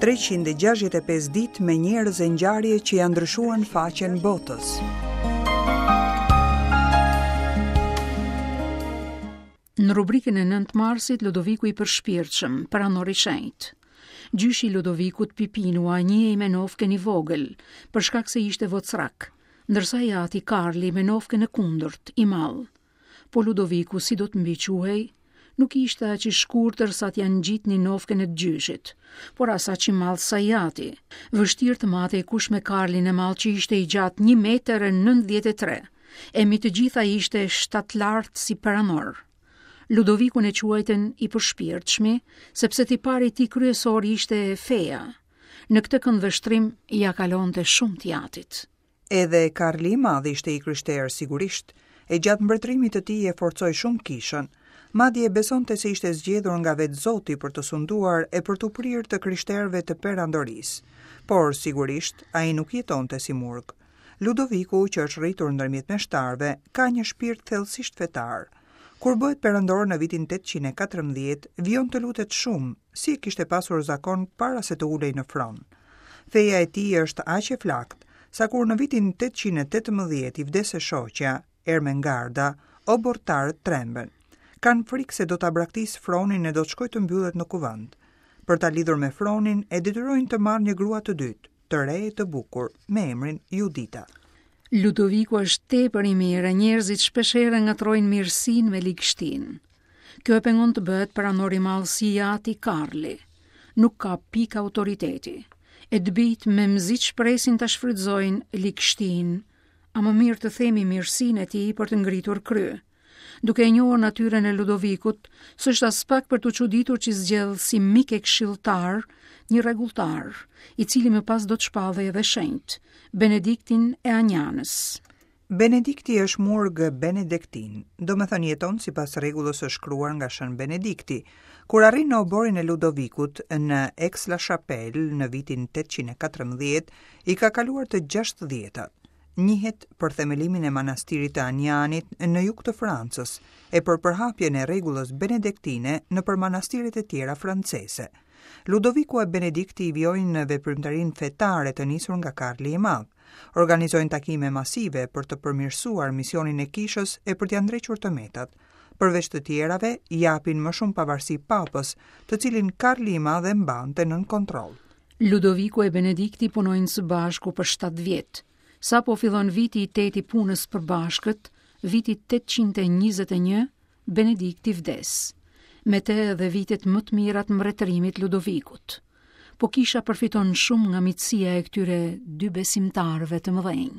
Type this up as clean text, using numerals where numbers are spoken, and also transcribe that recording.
365 ditë me njerëz e ngjarje që ia ndryshuan faqen botës. Në rubrikën e 9 Marsit, Ludoviku i përshpirtshëm, perandor i shenjtë. Gjyshi i Ludovikut Pipinua njihej me nofkën i vogël, për shkak se ishte vocrrak, ndërsa i ati Karli me nofkën e kundërt, i madh. Po Ludoviku si do të mbiquhej? Nuk ishte aq i shkurtër sa t'ia ngjitnin nofkën e të gjyshit, por as aq i madh sa i ati. Vështirë të matej kush me Karlin e madh që ishte i gjatë 1 metër e 93, e mbi të gjitha ishte shtatlartë si perandor. Ludovikun e quajtën i përshpirtshmi, sepse tipari i tij kryesor ishte feja. Në këtë këndvështrim ia kalonte shumë të jatit. Edhe Karli i Madh ishte i krishterë sigurisht, e gjatë mbretërimit të tij e forcoi shumë kishën. Madje besonte se ishte zgjedhur nga vetë Zoti për të sunduar e për t'u prirë të krishterëve të perandorisë. Por, sigurisht, ai nuk jetonte si murg. Ludoviku, që është rritur ndërmjet meshtarëve, ka një shpirt thellësisht fetar. Kur bëhet perandor në vitin 814, vijon të lutet shumë, si e kishte pasur zakon para se të ulej në fron. Feja e tij është aq e flaktë, sa kur në vitin 818 i vdes e shoqja, Ermengarda, oborrtarët tremben. Kanë frikë se do ta braktisë fronin e do të shkojë të mbyllet në kuvend. Për ta lidhur me fronin, e detyrojnë të marrë një grua të dytë, të re e të bukur, me emrin Judita. Ludoviku është tepër i mirë e njerëzit shpeshherë ngatërrojnë mirësinë me ligështinë. Kjo e pengon të bëhet perandor i madh si i ati Karli. Nuk ka pikë autoriteti. E të bijtë memzi ç'presin ta shfrytëzojnë ligështinë, a më mirë të themi mirësinë e tij për të ngritur krye. Duke e njohur natyrën e Ludovikut, s'është aspak për t'u çuditur që zgjedh si mik e këshilltar një rregulltar, i cili më pas do të shpallej edhe shenjt, Benediktin e Anjanës. Benedikti është murg benediktin, domethënë jeton sipas rregullës së shkruar nga Shën Benedikti. Kur arrin në oborrin e Ludovikut në Aix-la-Chapelle në vitin 814, i ka kaluar të gjashtëdhjetat. Njihet për themelimin e manastirit të Anjanit në jug të Francës e për përhapjen e rregullës benedektine nëpër manastiret e tjera franceze. Ludoviku e Benedikti vijojnë veprimtarinë fetare të nisur nga Karli i Madh. Organizojnë takime masive për të përmirësuar misionin e kishës e për t'ia ndrequr të metat. Përveç të tjerave, japin më shumë pavarësi papës, të cilin Karli i Madh e mbante nën kontroll. Ludoviku e Benedikti punojnë së bashku për 7 vjet. Sapo fillon viti i tetë i punës së përbashkët, viti 821, Benedikti vdes. Me të edhe vitet më të mira të mbretërimit të Ludovikut. Po kisha përfiton shumë nga miqësia e këtyre dy besimtarëve të mëdhenj.